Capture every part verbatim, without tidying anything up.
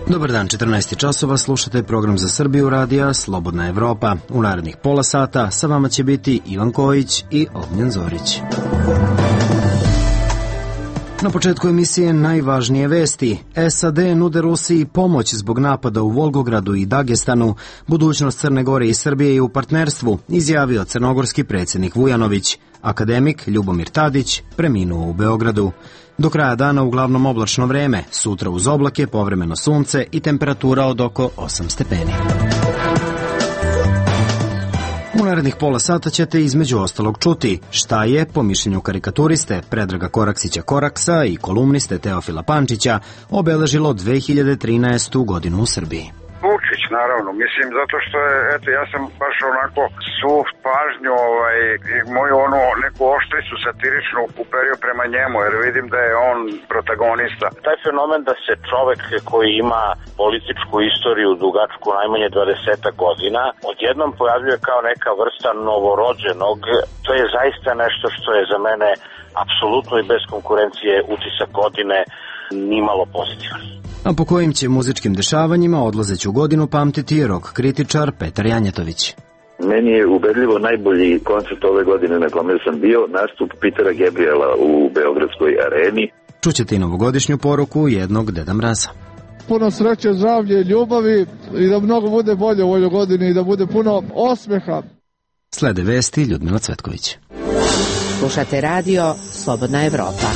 Dobar dan, četrnaest časova, slušate program za Srbiju radija Slobodna Evropa. U narednih pola sata sa vama će biti Ivan Kojić i Ognjen Zorić. Na početku emisije najvažnije vesti. S A D nude Rusiji pomoć zbog napada u Volgogradu i Dagestanu. Budućnost Crne Gore i Srbije je u partnerstvu, izjavio crnogorski predsjednik Vujanović. Akademik Ljubomir Tadić preminuo u Beogradu. Do kraja dana uglavnom oblačno vreme, sutra uz oblake, povremeno sunce i temperatura od oko osam stepeni. U narednih pola sata ćete između ostalog čuti šta je, po mišljenju karikaturiste Predraga Koraksića Koraksa i kolumniste Teofila Pančića, obeležilo dve hiljade trinaestu godinu u Srbiji. Vučić, naravno, mislim, zato što je, eto, ja sam baš onako svu pažnju, ovaj, moju onu neku oštricu satiričnu uperio prema njemu, jer vidim da je on protagonista. Taj fenomen da se čovek koji ima političku istoriju dugačku najmanje dvadeset godina, odjednom pojavljuje kao neka vrsta novorođenog, to je zaista nešto što je za mene apsolutno i bez konkurencije utisak godine nimalo pozitivan. A po kojim će muzičkim dešavanjima odlazeću godinu pamtiti rock kritičar Petar Janjetović. Meni je ubedljivo najbolji koncert ove godine na kome sam bio nastup Petera Gabriela u Beogradskoj areni. Čućete i novogodišnju poruku jednog Deda Mraza. Puno sreće, zdravlje, ljubavi i da mnogo bude bolje u ovoj godini i da bude puno osmeha. Slede vesti Ljudmila Cvetković. Slušate radio Slobodna Evropa.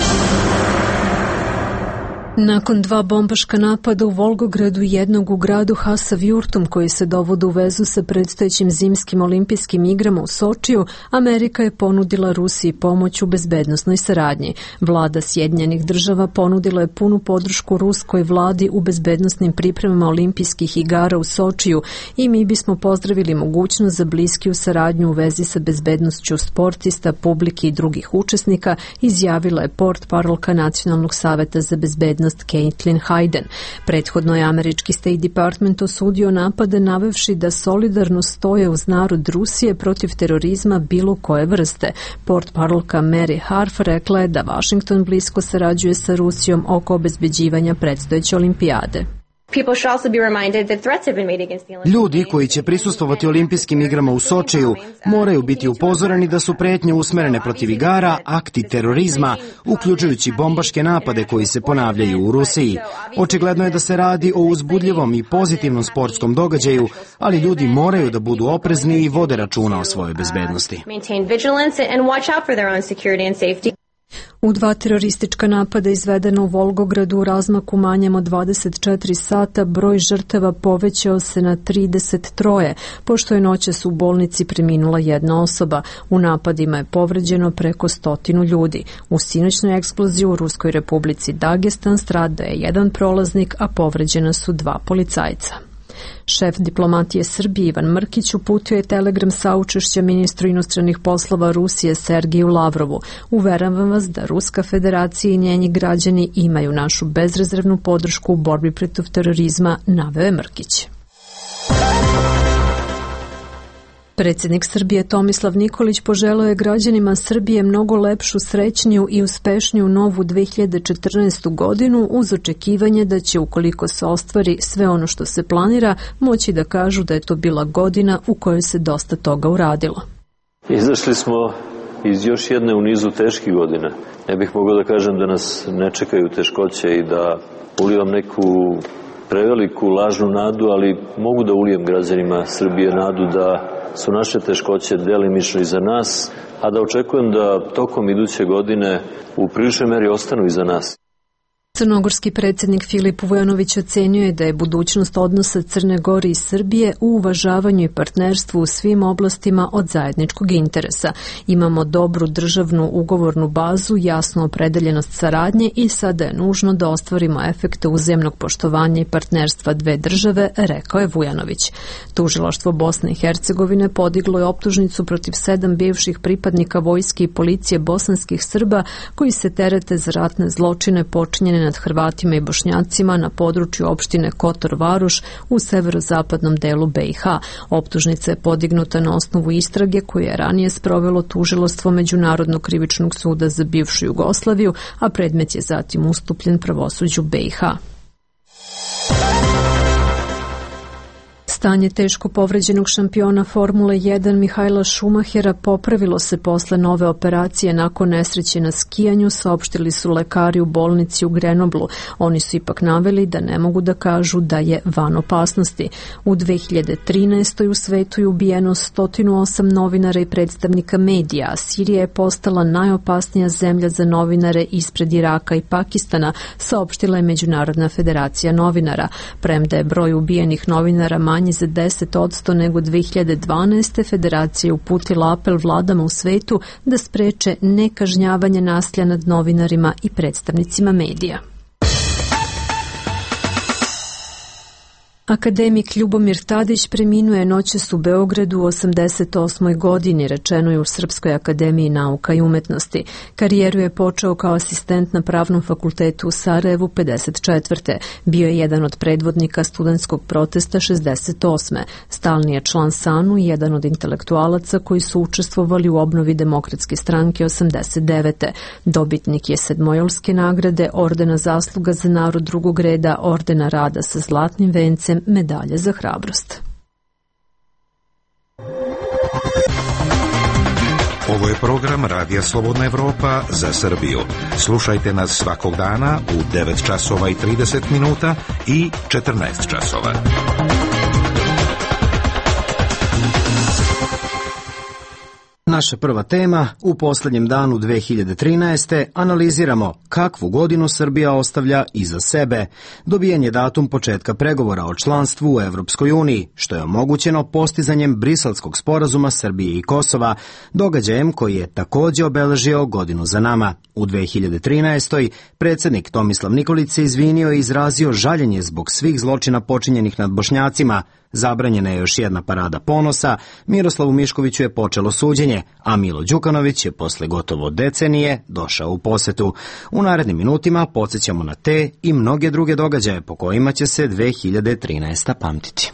Nakon dva bombaška napada u Volgogradu i jednog u gradu Hasavjurtum koji se dovode u vezu sa predstojećim zimskim olimpijskim igrama u Sočiju, Amerika je ponudila Rusiji pomoć u bezbednosnoj saradnji. Vlada Sjedinjenih država ponudila je punu podršku ruskoj vladi u bezbednosnim pripremama olimpijskih igara u Sočiju i mi bismo pozdravili mogućnost za bliskiju saradnju u vezi sa bezbednošću sportista, publike i drugih učesnika, izjavila je portparolka Nacionalnog saveta za bezbednost Caitlin Hayden. Prethodno je američki State Department osudio napade navevši da solidarno stoje uz narod Rusije protiv terorizma bilo koje vrste. Portparolka Mary Harf rekla je da Washington blisko sarađuje sa Rusijom oko obezbeđivanja predstojeće olimpijade. Ljudi koji će prisustvovati olimpijskim igrama u Sočiju moraju biti upozoreni da su pretnje usmerene protiv igara, akti terorizma, uključujući bombaške napade koji se ponavljaju u Rusiji. Očigledno je da se radi o uzbudljivom i pozitivnom sportskom događaju, ali ljudi moraju da budu oprezni i vode računa o svojoj bezbednosti. U dva teroristička napada izvedena u Volgogradu u razmaku manjem od dvadeset četiri sata broj žrtava povećao se na trideset tri, pošto je noćas u bolnici preminula jedna osoba. U napadima je povređeno preko stotinu ljudi. U sinoćnoj eksploziji u Ruskoj republici Dagestan stradao je jedan prolaznik, a povređena su dva policajca. Šef diplomatije Srbije Ivan Mrkić uputio je telegram saučešća ministru inostranih poslova Rusije Sergeju Lavrovu. Uveravam vas da Ruska federacija i njeni građani imaju našu bezrezervnu podršku u borbi protiv terorizma, naveo je Mrkić. Predsjednik Srbije Tomislav Nikolić poželeo je građanima Srbije mnogo lepšu, srećniju i uspešniju novu dve hiljade četrnaestu godinu uz očekivanje da će, ukoliko se ostvari sve ono što se planira, moći da kažu da je to bila godina u kojoj se dosta toga uradilo. Izašli smo iz još jedne u nizu teških godina. Ne bih mogao da kažem da nas ne čekaju teškoće i da ulivam neku preveliku lažnu nadu, ali mogu da ulijem građanima Srbije nadu da su naše teškoće delimično iza nas, a da očekujem da tokom iduće godine u priličnoj meri ostanu iza nas. Crnogorski predsjednik Filip Vujanović ocenio je da je budućnost odnosa Crne Gore i Srbije u uvažavanju i partnerstvu u svim oblastima od zajedničkog interesa. Imamo dobru državnu ugovornu bazu, jasnu opredeljenost saradnje i sada je nužno da ostvarimo efekte uzajamnog poštovanja i partnerstva dve države, rekao je Vujanović. Tužilaštvo Bosne i Hercegovine podiglo je optužnicu protiv sedam bivših pripadnika vojske i policije bosanskih Srba koji se terete za ratne zločine počinjene nad Hrvatima i Bošnjacima na području opštine Kotor Varoš u severozapadnom delu B i H. Optužnica je podignuta na osnovu istrage koju je ranije sprovelo tužilaštvo Međunarodnog krivičnog suda za bivšu Jugoslaviju, a predmet je zatim ustupljen pravosuđu B i H. Stanje teško povređenog šampiona Formule jedan Mihaela Šumahera popravilo se posle nove operacije nakon nesreće na skijanju, saopštili su lekari u bolnici u Grenoblu. Oni su ipak naveli da ne mogu da kažu da je van opasnosti. U dve hiljade trinaestoj u svetu je ubijeno sto osam novinara i predstavnika medija, a Sirija je postala najopasnija zemlja za novinare ispred Iraka i Pakistana, saopštila je Međunarodna federacija novinara. Premda je broj ubijenih novinara manji za deset odsto nego dve hiljade dvanaeste. Federacija je uputila apel vladama u svetu da spreče nekažnjavanje nasilja nad novinarima i predstavnicima medija. Akademik Ljubomir Tadić preminuo je noćas u Beogradu u osamdeset osmoj godini, rečeno je u Srpskoj akademiji nauka i umetnosti. Karijeru je počeo kao asistent na Pravnom fakultetu u Sarajevu pedeset četvrte. Bio je jedan od predvodnika studentskog protesta šezdeset osme. Stalni je član SANU i jedan od intelektualaca koji su učestvovali u obnovi Demokratske stranke osamdeset devete. Dobitnik je Sedmojolske nagrade, ordena zasluga za narod drugog reda, ordena rada sa zlatnim vencem, medalje za hrabrost. Ovo je program Radija Slobodna Evropa za Srbiju. Slušajte nas svakog dana u devet časova i trideset minuta i četrnaest časova. Naša prva tema, u poslednjem danu dve hiljade trinaeste. analiziramo kakvu godinu Srbija ostavlja iza sebe. Dobijen je datum početka pregovora o članstvu u Evropskoj uniji, što je omogućeno postizanjem Briselskog sporazuma Srbije i Kosova, događajem koji je takođe obeležio godinu za nama. U dve hiljade trinaestoj. predsednik Tomislav Nikolić se izvinio i izrazio žaljenje zbog svih zločina počinjenih nad Bošnjacima. Zabranjena je još jedna parada ponosa, Miroslavu Miškoviću je počelo suđenje, a Milo Đukanović je posle gotovo decenije došao u posetu. U narednim minutima podsjećamo na te i mnoge druge događaje po kojima će se dve hiljade trinaesta. pamtiti.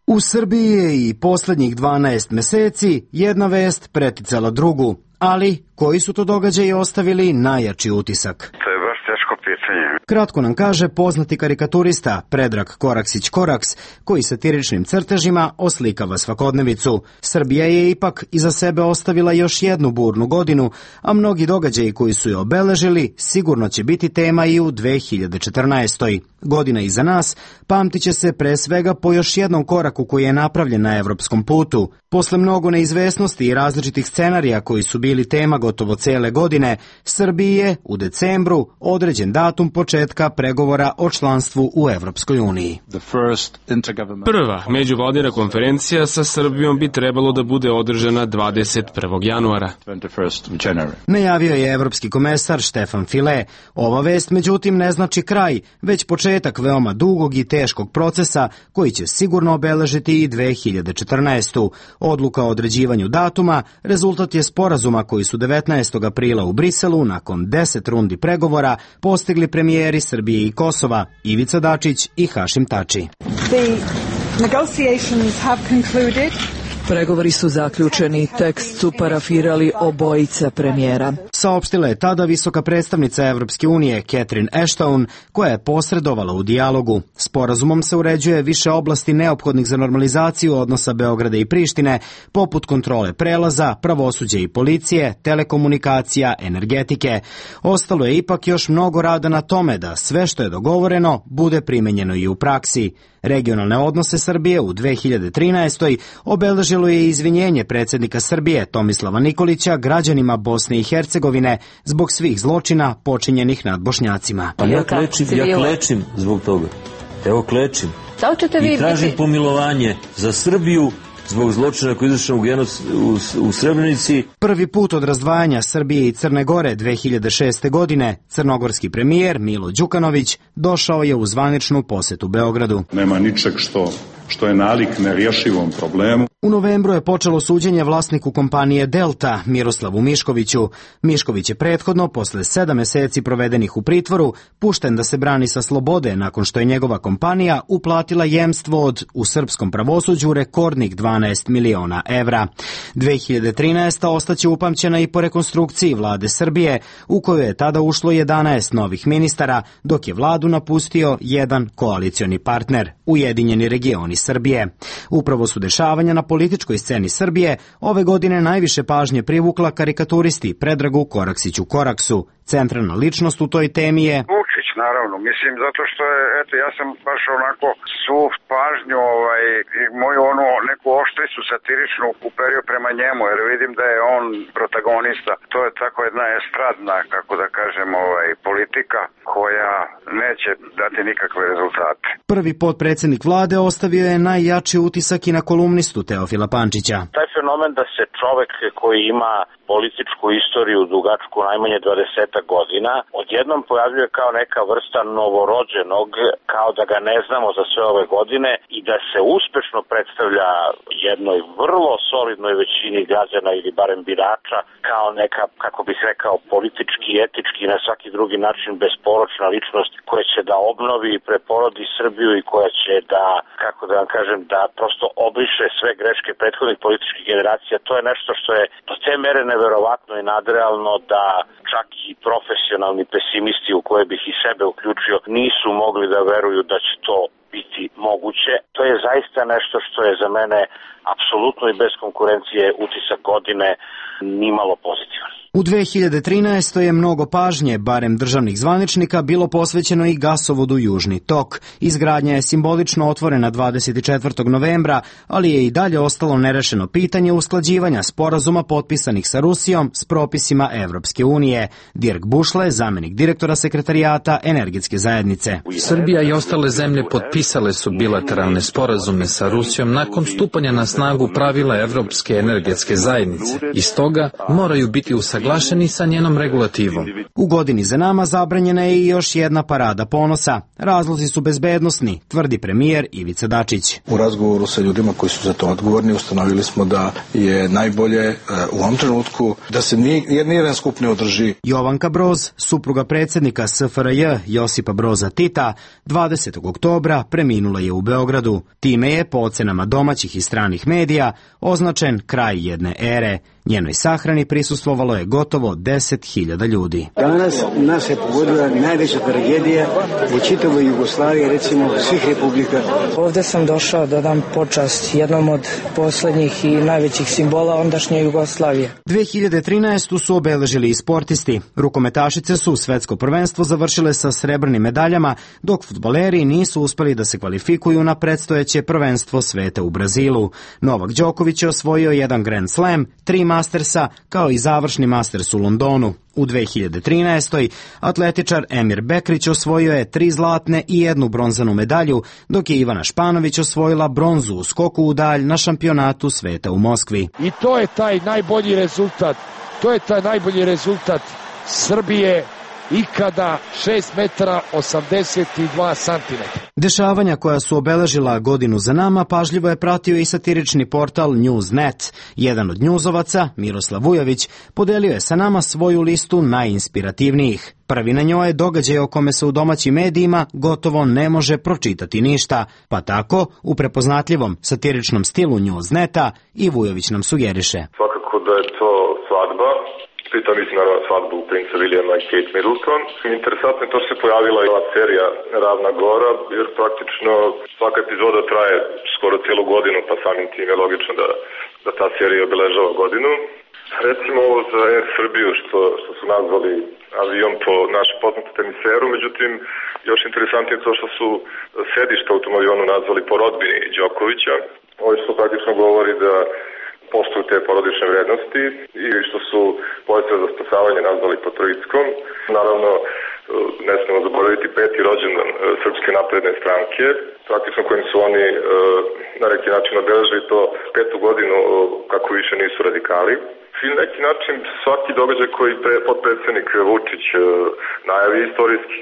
U Srbiji je i poslednjih dvanaest meseci jedna vest preticala drugu, ali koji su to događaji ostavili najjači utisak? To je baš teško pitanje. Kratko nam kaže poznati karikaturista Predrag Koraksić Koraks, koji satiričnim crtežima oslikava svakodnevicu. Srbija je ipak iza sebe ostavila još jednu burnu godinu, a mnogi događaji koji su je obeležili sigurno će biti tema i u dve hiljade četrnaestoj. Godina iza nas pamtit će se pre svega po još jednom koraku koji je napravljen na evropskom putu. Posle mnogo neizvesnosti i različitih scenarija koji su bili tema gotovo cele godine, Srbiji je u decembru određen datum početka pregovora o članstvu u Evropskoj uniji. Prva međuvladina konferencija sa Srbijom bi trebalo da bude održana dvadeset prvog januara. Najavio je evropski komesar Štefan File. Ova vest međutim ne znači kraj, već početak veoma dugog i teškog procesa koji će sigurno obeležiti i dve hiljade četrnaestu. Odluka o određivanju datuma rezultat je sporazuma koji su devetnaestog aprila u Briselu nakon deset rundi pregovora postigli premijeri Srbije i Kosova, Ivica Dačić i Hašim Tači. The negotiations have concluded. Pregovori su zaključeni, tekst su parafirali obojica premijera. Saopštila je tada visoka predstavnica Evropske unije Catherine Ashton, koja je posredovala u dijalogu. Sporazumom se uređuje više oblasti neophodnih za normalizaciju odnosa Beograda i Prištine, poput kontrole prelaza, pravosuđa i policije, telekomunikacija, energetike. Ostalo je ipak još mnogo rada na tome da sve što je dogovoreno bude primenjeno i u praksi. Regionalne odnose Srbije u dve hiljade trinaestoj. obeležilo je izvinjenje predsednika Srbije Tomislava Nikolića građanima Bosne i Hercegovine zbog svih zločina počinjenih nad Bošnjacima. Pa ja klečim, ja klečim zbog toga. Evo klečim. I tražim pomilovanje za Srbiju zbog zločina koji izvršen u, u, u Srebrenici. Prvi put od razdvajanja Srbije i Crne Gore dve hiljade šeste. godine crnogorski premijer Milo Đukanović došao je u zvaničnu posetu Beogradu. Nema ničeg što, što je nalik nerješivom problemu. U novembru je počelo suđenje vlasniku kompanije Delta, Miroslavu Miškoviću. Mišković je prethodno, posle sedam meseci provedenih u pritvoru, pušten da se brani sa slobode nakon što je njegova kompanija uplatila jemstvo od, u srpskom pravosuđu, rekordnih dvanaest miliona evra. dve hiljade trinaeste. ostaće upamćena i po rekonstrukciji vlade Srbije, u koju je tada ušlo jedanaest novih ministara, dok je vladu napustio jedan koalicioni partner, Ujedinjeni regioni Srbije. Upravo su dešavanja na političkoj sceni Srbije ove godine najviše pažnje privukla karikaturisti Predragu Koraksiću Koraksu. Centralna ličnost u toj temi je Vučić, naravno. Mislim, zato što je, eto, ja sam baš onako svu pažnju, ovaj, moju onu neku oštricu satiričnu uperio prema njemu, jer vidim da je on protagonista. To je tako jedna estradna, kako da kažem, ovaj, politika koja neće dati nikakve rezultate. Prvi potpredsednik vlade ostavio je najjači utisak i na kolumnistu Teofila Pančića. Taj fenomen da se čovek koji ima političku istoriju dugačku najmanje dvadeset godina odjednom pojavljuje kao neka vrsta novorođenog, kao da ga ne znamo za sve ove godine i da se uspešno predstavlja jednoj vrlo solidnoj većini građana ili barem birača kao neka, kako bih rekao, politički, etički i na svaki drugi način besporočna ličnost koja će da obnovi i preporodi Srbiju i koja će da, kako da vam kažem, da prosto obriše sve greške prethodnih političkih generacija. To je nešto što je do te mere neverovatno i nadrealno da čak i profesionalni pesimisti, u koje bih i sebe uključio, nisu mogli da veruju da će to biti moguće. To je zaista nešto što je za mene apsolutno i bez konkurencije utisak godine nimalo pozitivan. U dve hiljade trinaestoj. je mnogo pažnje, barem državnih zvaničnika, bilo posvećeno i gasovodu Južni tok. Izgradnja je simbolično otvorena dvadeset četvrtog novembra, ali je i dalje ostalo nerešeno pitanje usklađivanja sporazuma potpisanih sa Rusijom s propisima Evropske unije. Dirk Bušle, zamenik direktora sekretarijata Energetske zajednice. Srbija i ostale zemlje potpisale su bilateralne sporazume sa Rusijom nakon stupanja na snagu pravila Evropske energetske zajednice i stoga moraju biti usaglašeni usaglašeni sa njenom regulativom. U godini za nama zabranjena je i još jedna parada ponosa. Razlozi su bezbednosni, tvrdi premijer Ivica Dačić. U razgovoru sa ljudima koji su za to odgovorni ustanovili smo da je najbolje u ovom trenutku da se nijedan skup ne održi. Jovanka Broz, supruga predsjednika S F R J Josipa Broza Tita, dvadesetog oktobra preminula je u Beogradu. Time je, po ocenama domaćih i stranih medija, označen kraj jedne ere. Njenoj sahrani prisustvovalo je gotovo deset hiljada ljudi. Danas nas je pogodila najveća tragedija u čitavoj Jugoslaviji, recimo svih republika. Ovde sam došao da dam počast jednom od poslednjih i najvećih simbola ondašnje Jugoslavije. dve hiljade trinaestu. su obeležili i sportisti. Rukometašice su svetsko prvenstvo završile sa srebrnim medaljama, dok fudbaleri nisu uspeli da se kvalifikuju na predstojeće prvenstvo sveta u Brazilu. Novak Đoković je osvojio jedan Grand Slam, tri Mastersa, kao i završni Masters u Londonu. U dve hiljade trinaestoj. atletičar Emir Bekrić osvojio je tri zlatne i jednu bronzanu medalju, dok je Ivana Španović osvojila bronzu u skoku u dalj na šampionatu sveta u Moskvi. I to je taj najbolji rezultat, to je taj najbolji rezultat Srbije ikada, šest metara osamdeset dva santimetra. Dešavanja koja su obeležila godinu za nama pažljivo je pratio i satirični portal News dot net. Jedan od njuzovaca, Miroslav Vujović, podelio je sa nama svoju listu najinspirativnijih. Prvi na njoj je događaj o kome se u domaćim medijima gotovo ne može pročitati ništa, pa tako u prepoznatljivom satiričnom stilu News dot neta i Vujović nam sugeriše. Svakako da je to svadba. Pritom mislim naravno svadbu princa Williama i Kate Middleton. Interesantno je to što se pojavila i ova serija Ravna Gora, jer praktično svaka epizoda traje skoro cijelu godinu, pa samim tim je logično da, da ta serija obeležava godinu. Recimo ovo za Air Srbiju što, što su nazvali avion po našem poznatom teniseru, međutim još interesantnije je to što su sedišta u tom avionu nazvali po rodbini Đokovića. Ovo što praktično govori da postoju te porodične vrednosti i što su poljstva za spasavanje nazvali po Trojickom. Naravno, ne smemo zaboraviti peti rođendan Srpske napredne stranke, praktično kojim su oni na neki način obeležili to petu godinu kako više nisu radikali. I na neki način svaki događaj koji potpredsjednik Vučić najavi istorijski.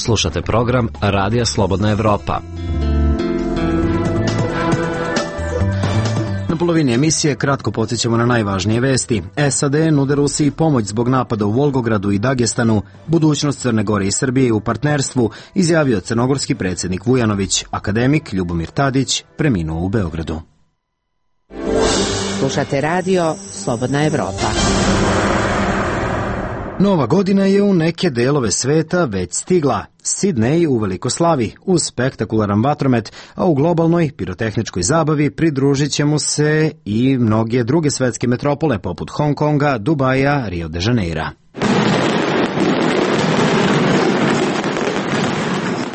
Slušate program Radija Slobodna Evropa. polovini emisije kratko podsjećamo na najvažnije vesti. S A D nude Rusiji pomoć zbog napada u Volgogradu i Dagestanu. Budućnost Crne Gore i Srbije u partnerstvu, izjavio crnogorski predsjednik Vujanović. Akademik Ljubomir Tadić preminuo u Beogradu. Slušate radio Slobodna Evropa. Nova godina je u neke delove sveta već stigla. Sidnej uveliko slavi uz spektakularan vatromet, a u globalnoj pirotehničkoj zabavi pridružit će mu se i mnoge druge svetske metropole poput Hong Konga, Dubaja, Rio de Janeira.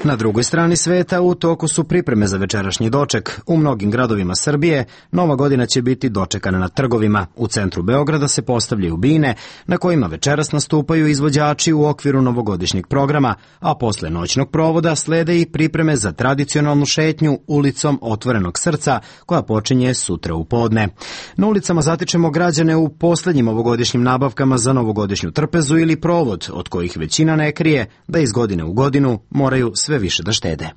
Na drugoj strani sveta u toku su pripreme za večerašnji doček. U mnogim gradovima Srbije Nova godina će biti dočekana na trgovima. U centru Beograda se postavljaju bine na kojima večeras nastupaju izvođači u okviru novogodišnjeg programa, a posle noćnog provoda slede i pripreme za tradicionalnu šetnju ulicom Otvorenog srca koja počinje sutra u podne. Na ulicama zatičemo građane u poslednjim ovogodišnjim nabavkama za novogodišnju trpezu ili provod, od kojih većina ne krije da iz godine u godinu moraju sve više da štede.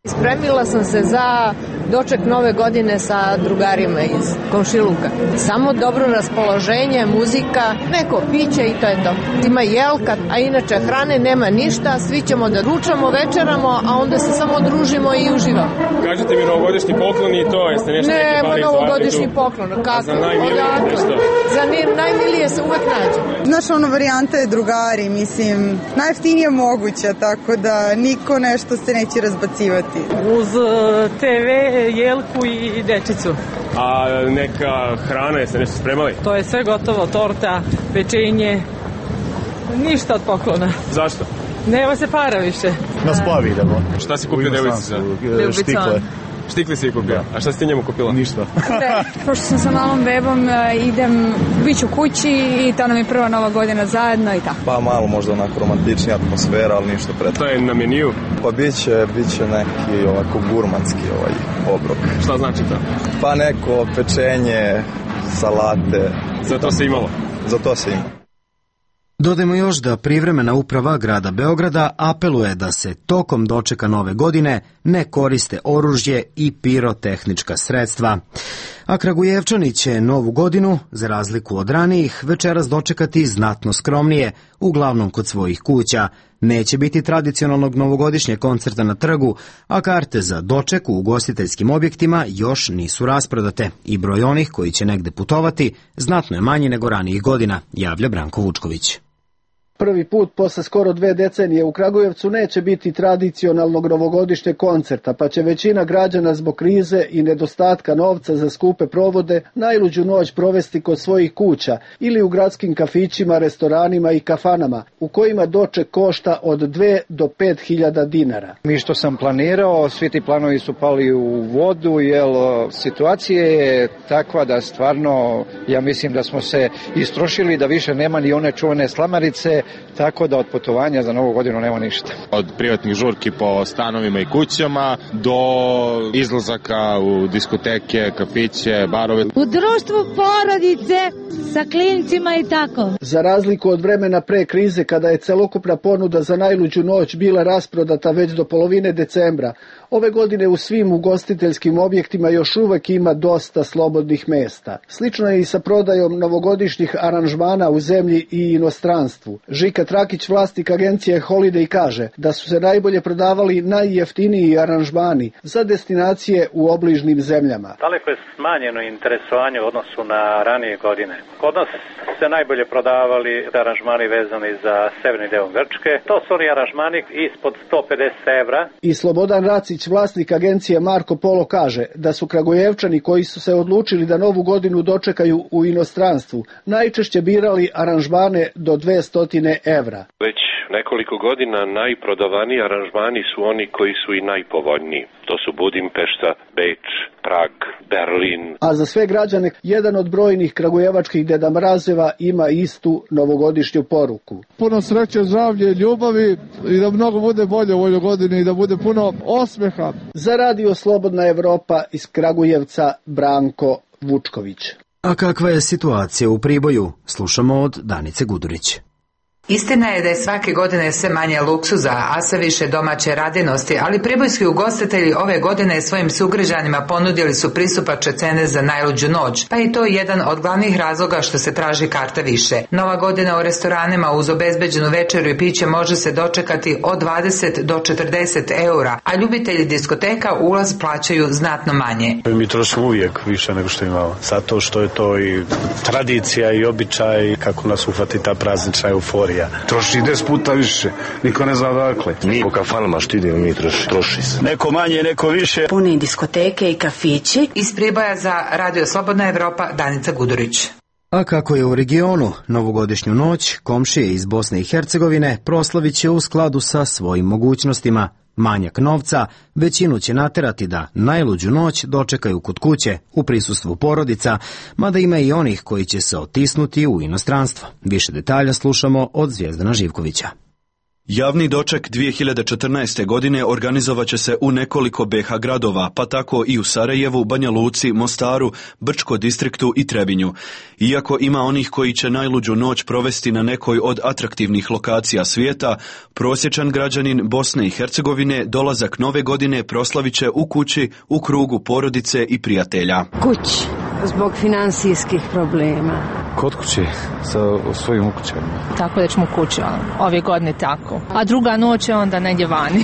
Spremila sam se za doček nove godine sa drugarima iz komšiluka. Samo dobro raspoloženje, muzika, neko piće i to je to. Ima jelka, a inače hrane nema ništa, svi ćemo da ručamo, večeramo, a onda se samo družimo i uživamo. Kažete mi novogodišnji poklon i to, jeste nešto neki Nema pali novogodišnji poklon, kako? Za najmilije nešto? Za najmilije se uvek nađe. Znaš, ono varijanta je drugari, mislim, najjeftinije moguća, tako da niko nešto se neće razbacivati. Uz te ve, jelku i dečicu. A neka hrana, jeste nešto spremali? To je sve gotovo, torta, pečenje, ništa od poklona. Zašto? Nema se para više. Na splavi idemo. Šta si kupio devojci sad? Štikle. Štikli si je kupila? A šta si ti njemu kupila? Ništa. Pošto sam sa malom bebom, idem, bit ću kući i to nam je prva nova godina zajedno i tako. Pa malo možda onako romantičnija atmosfera, ali ništa pretredno. To je na meniju? Pa bit će, bit će neki ovako gurmanski ovaj obrok. Šta znači to? Pa neko pečenje, salate. Za to se imalo? Za to se ima. Dodajmo još da privremena uprava grada Beograda apeluje da se tokom dočeka nove godine ne koriste oružje i pirotehnička sredstva. A Kragujevčani će novu godinu, za razliku od ranijih, večeras dočekati znatno skromnije, uglavnom kod svojih kuća. Neće biti tradicionalnog novogodišnjeg koncerta na trgu, a karte za doček u ugostiteljskim objektima još nisu rasprodate i broj onih koji će negde putovati znatno je manji nego ranijih godina, javlja Branko Vučković. Prvi put posle skoro dve decenije u Kragujevcu neće biti tradicionalnog novogodišnjeg koncerta, pa će većina građana zbog krize i nedostatka novca za skupe provode najluđu noć provesti kod svojih kuća ili u gradskim kafićima, restoranima i kafanama, u kojima doček košta od dve do pet hiljada dinara. Mi što sam planirao, svi ti planovi su pali u vodu, jer situacija je takva da stvarno, ja mislim da smo se istrošili, da više nema ni one čuvene slamarice, tako da od putovanja za novu godinu nema ništa. Od privatnih žurki po stanovima i kućama do izlazaka u diskoteke, kafiće, barove. U društvu porodice sa klincima i tako. Za razliku od vremena pre krize kada je celokupna ponuda za najluđu noć bila rasprodata već do polovine decembra, ove godine u svim ugostiteljskim objektima još uvek ima dosta slobodnih mesta. Slično je i sa prodajom novogodišnjih aranžmana u zemlji i inostranstvu. Žika Trakić, vlasnik agencije Holiday, kaže da su se najbolje prodavali najjeftiniji aranžmani za destinacije u obližnim zemljama. Daleko je smanjeno interesovanje u odnosu na ranije godine. Kod nas se najbolje prodavali aranžmani vezani za severni deo Grčke. To su oni aranžmani ispod sto pedeset evra. I Slobodan Racić, vlasnik agencije Marko Polo, kaže da su Kragujevčani koji su se odlučili da novu godinu dočekaju u inostranstvu najčešće birali aranžmane do dvesta evra. Već nekoliko godina najprodavaniji aranžmani su oni koji su i najpovoljniji. To su Budimpešta, Beč, Prag, Berlin. A za sve građane jedan od brojnih kragujevačkih Deda Mrazeva ima istu novogodišnju poruku. Puno sreće, zdravlje, ljubavi i da mnogo bude bolje u ovoj godini i da bude puno osmeha. Za radio Slobodna Evropa iz Kragujevca, Branko Vučković. A kakva je situacija u Priboju? Slušamo od Danice Gudurić. Istina je da je svake godine sve manje luksuza, a sve više domaće radinosti, ali pribojski ugostitelji ove godine svojim sugrađanima ponudili su pristupačne cene za najluđu noć, pa i to je jedan od glavnih razloga što se traži karta više. Nova godina u restoranima uz obezbeđenu večeru i piće može se dočekati od dvadeset do četrdeset eura, a ljubitelji diskoteka ulaz plaćaju znatno manje. Mi trošimo uvijek više nego što imamo, zato što je to i tradicija i običaj kako nas uhvati ta praznična euforija. Troši deset puta više, niko ne zna odakle. Mi po kafanama što idemo, mi troši, troši se. Neko manje, neko više. Puni diskoteke i kafići. Iz Priboja za Radio Slobodna Evropa, Danica Gudurić. A kako je u regionu, novogodišnju noć komšije iz Bosne i Hercegovine proslavit će u skladu sa svojim mogućnostima. Manjak novca većinu će naterati da najluđu noć dočekaju kod kuće u prisustvu porodica, mada ima i onih koji će se otisnuti u inostranstvo. Više detalja slušamo od Zvijezdana Živkovića. Javni doček dvije hiljade četrnaeste. godine organizovat će se u nekoliko B iH gradova, pa tako i u Sarajevu, Banja Luci, Mostaru, Brčko distriktu i Trebinju. Iako ima onih koji će najluđu noć provesti na nekoj od atraktivnih lokacija svijeta, prosječan građanin Bosne i Hercegovine dolazak nove godine proslavit će u kući, u krugu porodice i prijatelja. Kući, zbog finansijskih problema. Kod kuće, sa svojim ukućama. Tako da ćemo kući, ove godine tako. A druga noć je onda negdje vani.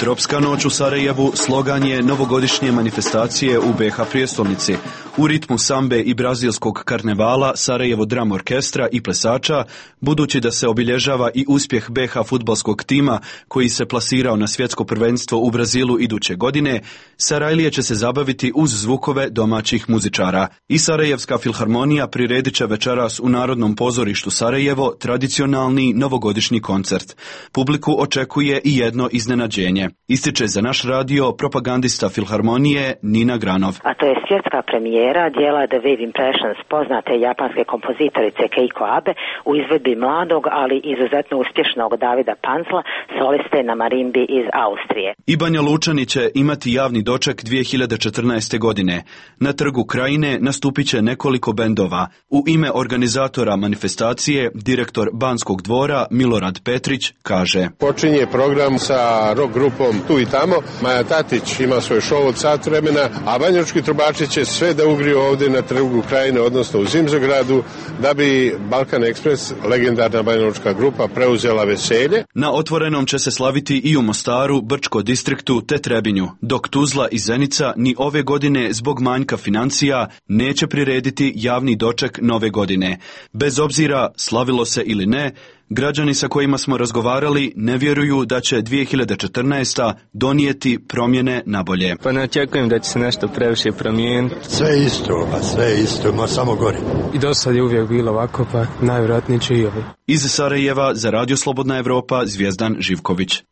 Tropska noć u Sarajevu slogan je novogodišnje manifestacije u B iH prijestolnici. U ritmu sambe i brazilskog karnevala, Sarajevo Dram Orkestra i plesača, budući da se obilježava i uspjeh B iH fudbalskog tima koji se plasirao na svjetsko prvenstvo u Brazilu iduće godine, Sarajlije će se zabaviti uz zvukove domaćih muzičara. I Sarajevska filharmonija priredit će večeras u Narodnom pozorištu Sarajevo tradicionalni novogodišnji koncert. Publiku očekuje i jedno iznenađenje. Ističe za naš radio propagandista filharmonije Nina Granov. A to je svjetska premijera dijela The Wave Impressions poznate japanske kompozitorice Keiko Abe u izvedbi mladog, ali izuzetno uspješnog Davida Pancla, soliste na marimbi iz Austrije. I Banja Lučani će imati javni doček dvije hiljade četrnaeste. godine. Na Trgu Krajine nastupit će nekoliko bendova. U ime organizatora manifestacije, direktor Banskog dvora Milorad Petrić kaže: Počinje program sa rock grupom Tu i tamo. Maja Tatić ima svoj show od sat vremena, a banjalučki trubači će sve da ugriju ovdje na Trgu Krajine, odnosno u Zimzogradu, da bi Balkan Express, legendarna banjalučka grupa, preuzela veselje. Na otvorenom će se slaviti i u Mostaru, Brčko distriktu te Trebinju, dok Tuzla i Zenica ni ove godine zbog manjka financija neće prirediti javni doček nove godine. Bez obzira slavilo se ili ne, građani sa kojima smo razgovarali ne vjeruju da će dvije hiljade četrnaesta. donijeti promjene na bolje. Pa ne očekujem da će se nešto previše promijeniti. Sve isto, pa sve isto, ma samo gori. I do sad je uvijek bilo ovako, pa najvjerojatnije će i ovi. Iz Sarajeva za Radio Slobodna Evropa, Zvijezdan Živković.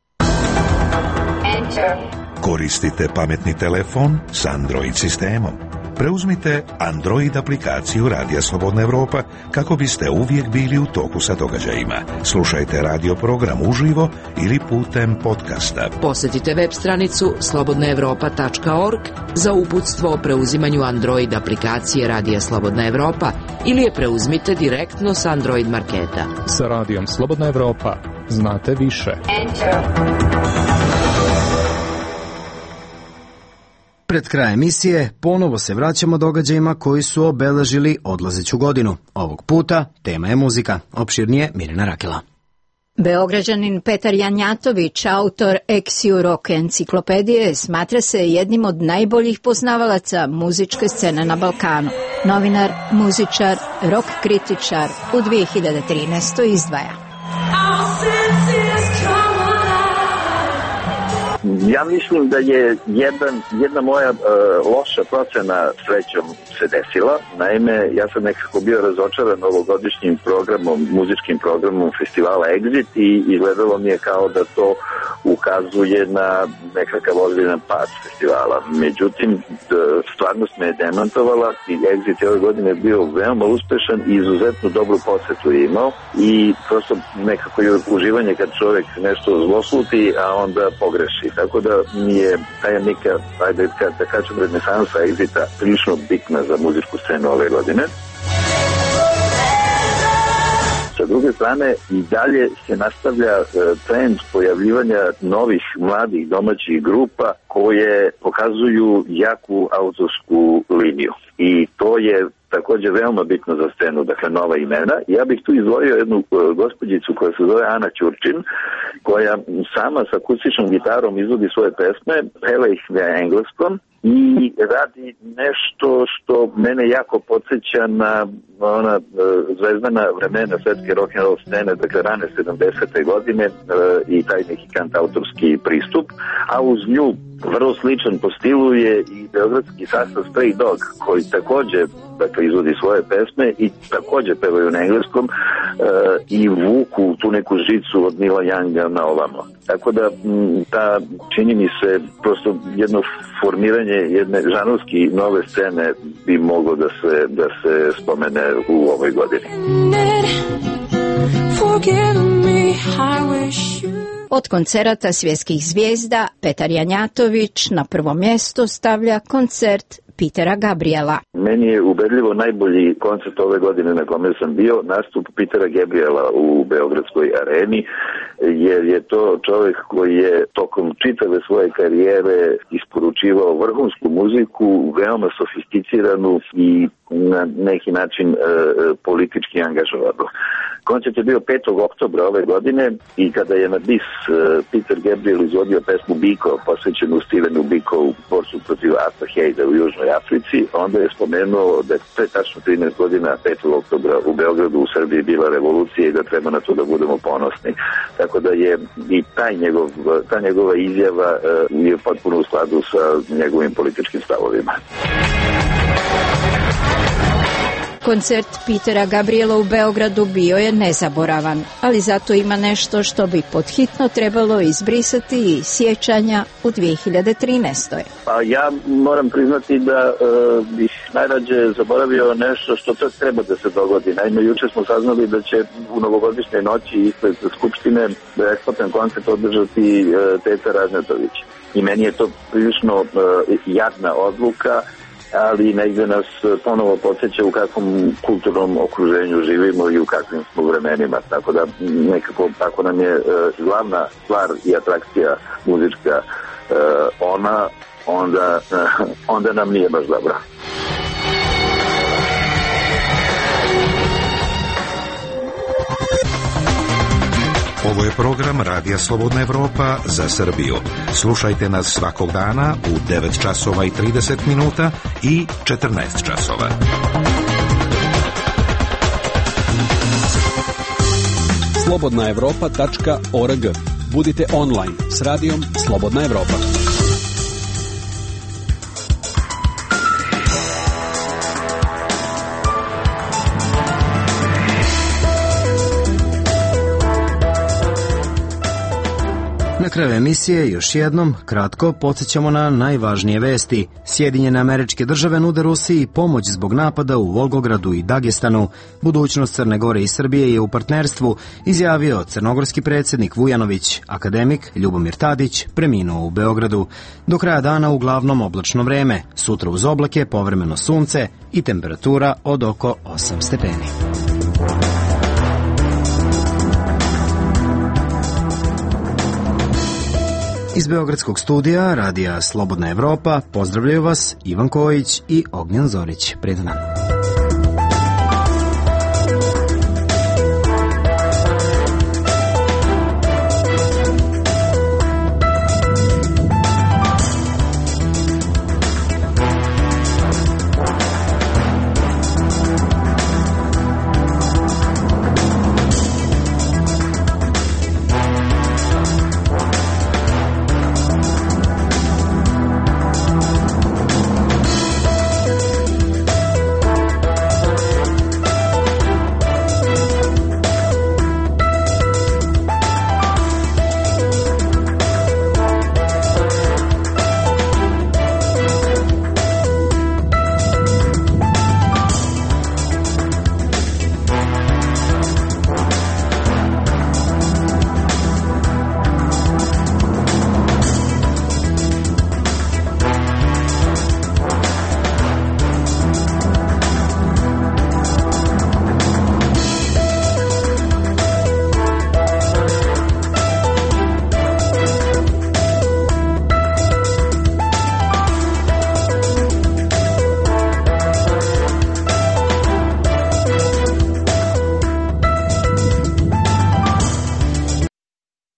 Koristite pametni telefon s Android sistemom. Preuzmite Android aplikaciju Radija Slobodna Evropa kako biste uvijek bili u toku sa događajima. Slušajte radio program uživo ili putem podcasta. Posjetite web stranicu slobodna evropa tačka org za uputstvo o preuzimanju Android aplikacije Radija Slobodna Evropa ili je preuzmite direktno s Android marketa. Sa Radijom Slobodna Evropa znate više. Pred kraj emisije ponovo se vraćamo događajima koji su obeležili odlazeću godinu. Ovog puta tema je muzika. Opširnije Mirjana Rakela. Beograđanin Petar Janjatović, autor Eksiu rock enciklopedije, smatra se jednim od najboljih poznavalaca muzičke scene na Balkanu. Novinar, muzičar, rock kritičar u dvije hiljade trinaestoj. izdvaja. Ja mislim da je jedan, jedna moja uh, loša procena srećom se desila. Naime, ja sam nekako bio razočaran ovogodišnjim programom, muzičkim programom festivala Exit i izgledalo mi je kao da to ukazuje na nekakav ozbiljan pad festivala. Međutim, stvarnost me je demantovala i Exit je ove godine bio veoma uspešan i izuzetno dobru posetu je imao i prosto nekako je uživanje kad čovjek nešto zlosluti, a onda pogreši. Tako da mi je taj neka, ajde da kažem, renesansa Exita prilično bitna za muzičku scenu ove godine. S druge strane, i dalje se nastavlja trend pojavljivanja novih mladih domaćih grupa koje pokazuju jaku autorsku liniju. I to je također veoma bitno za scenu, dakle nova imena. Ja bih tu izdvojio jednu gospođicu koja se zove Ana Ćurčin, koja sama sa akustičnom gitarom izvodi svoje pesme, peva ih na engleskom i radi nešto što mene jako podsjeća na ona e, zvezdana vremena svetske rock'n'roll scene, dakle rane sedamdesete godine e, i taj neki kantautorski pristup, a uz nju vrlo sličan po stilu je i beogradski sastav Stray Dog, koji također dakle, izvodi svoje pesme i također pevaju na engleskom e, i vuku tu neku žicu od Nila Younga na ovamo. Tako da m, ta, čini mi se, prosto jedno formiranje jedne žanrovski nove scene bi moglo da se, da se spomene u ovoj godini. Od koncerata svjetskih zvijezda Petar Janjatović na prvo mjesto stavlja koncert Petera Gabriela. Meni je ubedljivo najbolji koncert ove godine na kome sam bio nastup Petera Gabriela u Beogradskoj areni, jer je to čovjek koji je tokom čitave svoje karijere isporučivao vrhunsku muziku, veoma sofisticiranu i na neki način e, politički angažovanu. Koncert je bio petog oktobra ove godine i kada je na bis e, Peter Gabriel izvodio pesmu Biko, posvećenu Stevenu Biko u borcu protiv apartheida u Južnoj Africi, onda je spomenuo da je pre tačno trinaest godina petog oktobra u Beogradu u Srbiji bila revolucija i da treba na to da budemo ponosni. Tako da je i taj njegov, ta njegova izjava e, je potpuno u skladu sa njegovim političkim stavovima. Koncert Petera Gabriela u Beogradu bio je nezaboravan, ali zato ima nešto što bi podhitno trebalo izbrisati iz sjećanja u dvije hiljade trinaestoj. Pa ja moram priznati da uh, bih najrađe zaboravio nešto što to treba da se dogodi. Naime, juče smo saznali da će u novogodišnjoj noći ispred Skupštine besplatan koncert održati uh, Teta Ražnatović. I meni je to prilično uh, jadna odluka, ali negdje nas ponovo podsjeća u kakvom kulturnom okruženju živimo i u kakvim smo vremenima, tako da nekako tako nam je e, glavna stvar i atrakcija muzička e, ona, onda, e, onda nam nije baš dobro. Ovo je program Radija Slobodna Evropa za Srbiju. Slušajte nas svakog dana u devet časova i trideset minuta i četrnaest časova. slobodna evropa tačka org. Budite online s radijom Slobodna Evropa. Na kraju emisije još jednom kratko podsjećamo na najvažnije vesti. Sjedinjene Američke Države nude Rusiji pomoć zbog napada u Volgogradu i Dagestanu. Budućnost Crne Gore i Srbije je u partnerstvu, izjavio crnogorski predsjednik Vujanović. Akademik Ljubomir Tadić preminuo u Beogradu. Do kraja dana uglavnom oblačno vreme. Sutra uz oblake, povremeno sunce i temperatura od oko osam stepeni. Iz beogradskog studija Radija Slobodna Evropa pozdravljaju vas Ivan Kojić i Ognjen Zorić. Prijatan dan.